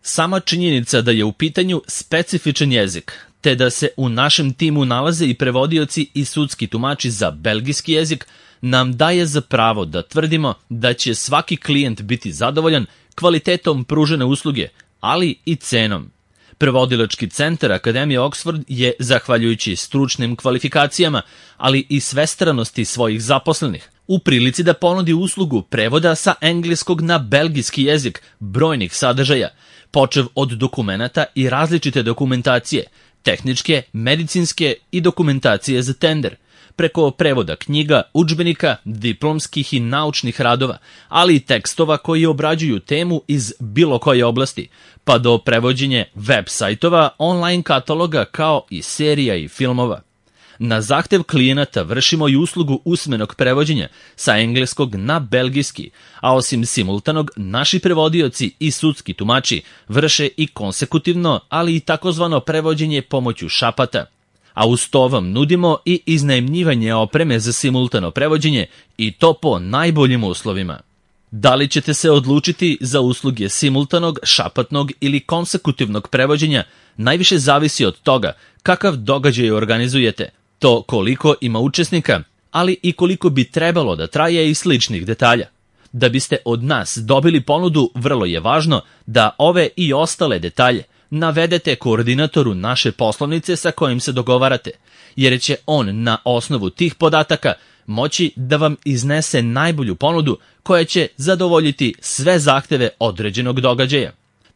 Sama činjenica da je u pitanju specifičan jezik, te da se u našem timu nalaze i prevodioci i sudski tumači za belgijski jezik, nam daje za pravo da tvrdimo da će svaki klijent biti zadovoljan kvalitetom pružene usluge, ali i cenom. Prevodilački centar Akademije Oxford je, zahvaljujući stručnim kvalifikacijama, ali i svestranosti svojih zaposlenih, u prilici da ponudi uslugu prevoda sa engleskog na belgijski jezik brojnih sadržaja, počev od dokumenata i različite dokumentacije, tehničke, medicinske i dokumentacije za tender, preko prevoda knjiga, udžbenika, diplomskih i naučnih radova, ali i tekstova koji obrađuju temu iz bilo koje oblasti, pa do prevođenja web sajtova, online kataloga kao i serija i filmova. Na zahtev klijenata vršimo i uslugu usmenog prevođenja sa engleskog na belgijski, a osim simultanog, naši prevodioci i sudski tumači vrše i konsekutivno, ali i takozvano prevođenje pomoću šapata. A uz to vam nudimo i iznajmljivanje opreme za simultano prevođenje i to po najboljim uslovima. Da li ćete se odlučiti za usluge simultanog, šapatnog ili konsekutivnog prevođenja, najviše zavisi od toga kakav događaj organizujete, to koliko ima učesnika, ali i koliko bi trebalo da traje i sličnih detalja. Da biste od nas dobili ponudu, vrlo je važno da ove i ostale detalje navedete koordinatoru naše poslovnice sa kojim se dogovarate, jer će on na osnovu tih podataka moći da vam iznese najbolju ponudu koja će zadovoljiti sve zahteve određenog događaja.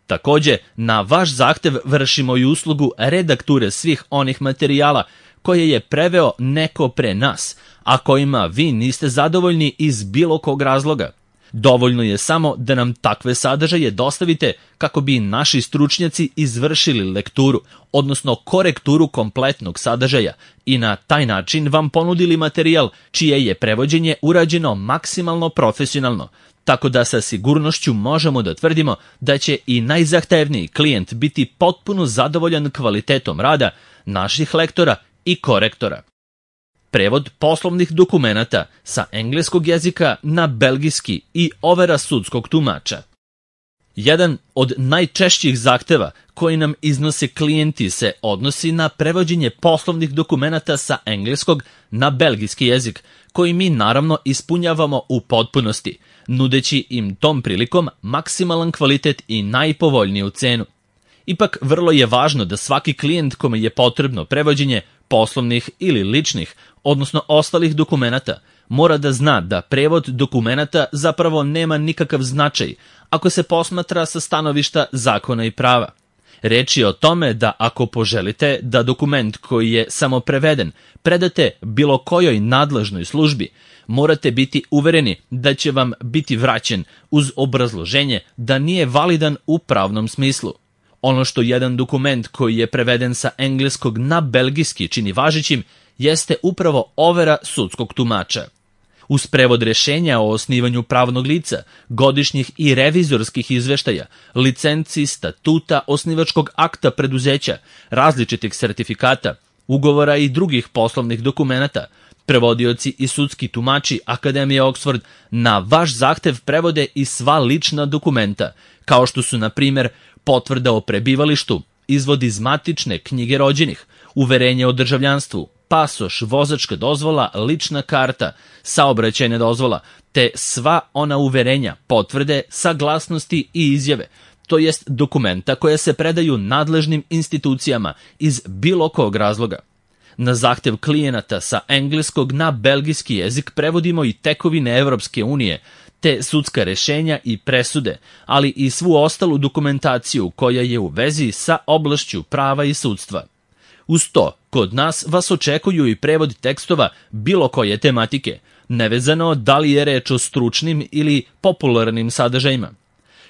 Takođe, na vaš zahtev vršimo i uslugu redakture svih onih materijala koje je preveo neko pre nas, a kojima vi niste zadovoljni iz bilo kog razloga. Dovoljno je samo da nam takve sadržaje dostavite kako bi naši stručnjaci izvršili lekturu, odnosno korekturu kompletnog sadržaja i na taj način vam ponudili materijal čije je prevođenje urađeno maksimalno profesionalno, tako da sa sigurnošću možemo da tvrdimo da će i najzahtevniji klijent biti potpuno zadovoljan kvalitetom rada naših lektora i korektora. Prevod poslovnih dokumenata sa engleskog jezika na belgijski i overa sudskog tumača. Jedan od najčešćih zahteva koji nam iznose klijenti se odnosi na prevođenje poslovnih dokumenata sa engleskog na belgijski jezik, koji mi naravno ispunjavamo u potpunosti, nudeći im tom prilikom maksimalan kvalitet i najpovoljniju cenu. Ipak, vrlo je važno da svaki klijent kome je potrebno prevođenje poslovnih ili ličnih, odnosno ostalih dokumenata, mora da zna da prevod dokumenata zapravo nema nikakav značaj ako se posmatra sa stanovišta zakona i prava. Reč je o tome da ako poželite da dokument koji je samo preveden predate bilo kojoj nadležnoj službi, morate biti uvereni da će vam biti vraćen uz obrazloženje da nije validan u pravnom smislu. Ono što jedan dokument koji je preveden sa engleskog na belgijski čini važećim jeste upravo overa sudskog tumača. Uz prevod rešenja o osnivanju pravnog lica, godišnjih i revizorskih izveštaja, licenci, statuta, osnivačkog akta preduzeća, različitih sertifikata, ugovora i drugih poslovnih dokumenata, prevodioci i sudski tumači Akademije Oxford na vaš zahtev prevode i sva lična dokumenta, kao što su, na primjer, potvrda o prebivalištu, izvod iz matične knjige rođenih, uverenje o državljanstvu, pasoš, vozačka dozvola, lična karta, saobraćajna dozvola, te sva ona uverenja, potvrde, saglasnosti i izjave, to jest dokumenta koje se predaju nadležnim institucijama iz bilo kog razloga. Na zahtev klijenata sa engleskog na belgijski jezik prevodimo i tekovine Evropske unije, te sudska rešenja i presude, ali i svu ostalu dokumentaciju koja je u vezi sa oblašću prava i sudstva. Uz to, kod nas vas očekuju i prevod tekstova bilo koje tematike, nevezano da li je reč o stručnim ili popularnim sadržajima.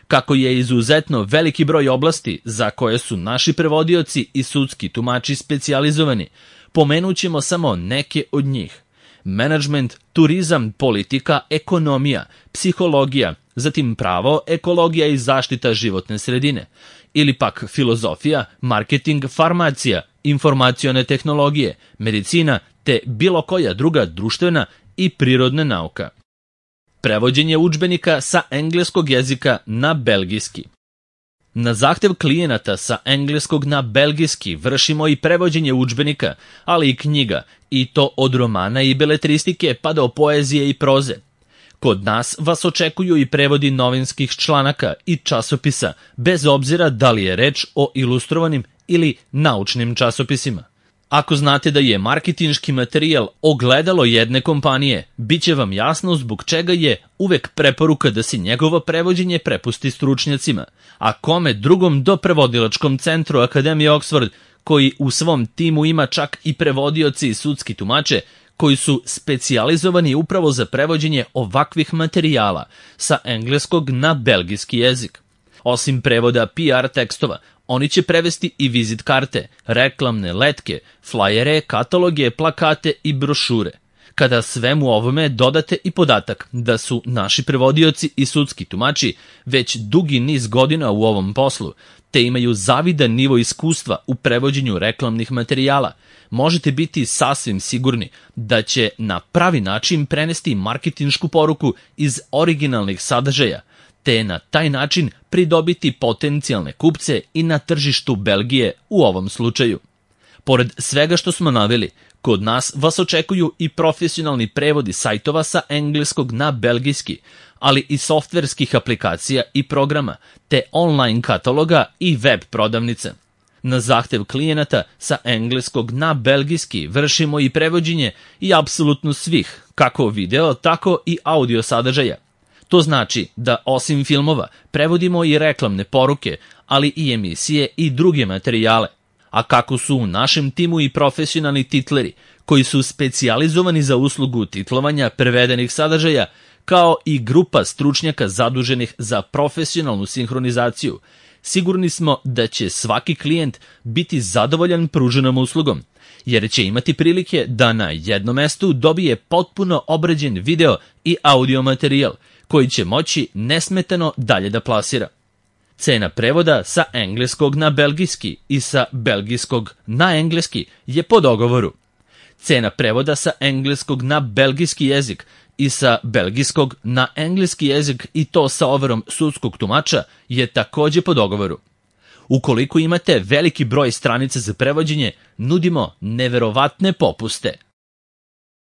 Kako je izuzetno veliki broj oblasti za koje su naši prevodioci i sudski tumači specijalizovani, pomenut ćemo samo neke od njih. Menadžment, turizam, politika, ekonomija, psihologija, zatim pravo, ekologija i zaštita životne sredine, ili pak filozofija, marketing, farmacija, informacione tehnologije, medicina te bilo koja druga društvena i prirodna nauka. Prevođenje udžbenika sa engleskog jezika na belgijski. Na zahtev klijenata sa engleskog na belgijski vršimo i prevođenje udžbenika, ali i knjiga, i to od romana i beletristike pa do poezije i proze. Kod nas vas očekuju i prevodi novinskih članaka i časopisa, bez obzira da li je reč o ilustrovanim ili naučnim časopisima. Ako znate da je marketinški materijal ogledalo jedne kompanije, bit će vam jasno zbog čega je uvek preporuka da se njegovo prevođenje prepusti stručnjacima, a kome drugom do prevodilačkom centru Akademije Oxford, koji u svom timu ima čak i prevodioci i sudski tumače, koji su specijalizovani upravo za prevođenje ovakvih materijala sa engleskog na belgijski jezik. Osim prevoda PR tekstova, oni će prevesti i vizit karte, reklamne letke, flajere, kataloge, plakate i brošure. Kada svemu ovome dodate i podatak da su naši prevodioci i sudski tumači već dugi niz godina u ovom poslu, te imaju zavidan nivo iskustva u prevođenju reklamnih materijala, možete biti sasvim sigurni da će na pravi način prenesti marketinšku poruku iz originalnih sadržaja, te na taj način pridobiti potencijalne kupce i na tržištu Belgije u ovom slučaju. Pored svega što smo naveli, kod nas vas očekuju i profesionalni prevodi sajtova sa engleskog na belgijski, ali i softverskih aplikacija i programa, te online kataloga i web prodavnice. Na zahtev klijenata sa engleskog na belgijski vršimo i prevođenje i apsolutno svih, kako video, tako i audio sadržaja. To znači da osim filmova prevodimo i reklamne poruke, ali i emisije i druge materijale. A kako su u našem timu i profesionalni titleri, koji su specijalizovani za uslugu titlovanja prevedenih sadržaja, kao i grupa stručnjaka zaduženih za profesionalnu sinhronizaciju, sigurni smo da će svaki klijent biti zadovoljan pruženom uslugom, jer će imati prilike da na jednom mestu dobije potpuno obrađen video i audio materijal, koji će moći nesmetano dalje da plasira. Cena prevoda sa engleskog na belgijski i sa belgijskog na engleski je po dogovoru. Cena prevoda sa engleskog na belgijski jezik i sa belgijskog na engleski jezik i to sa overom sudskog tumača je takođe po dogovoru. Ukoliko imate veliki broj stranica za prevođenje, nudimo neverovatne popuste.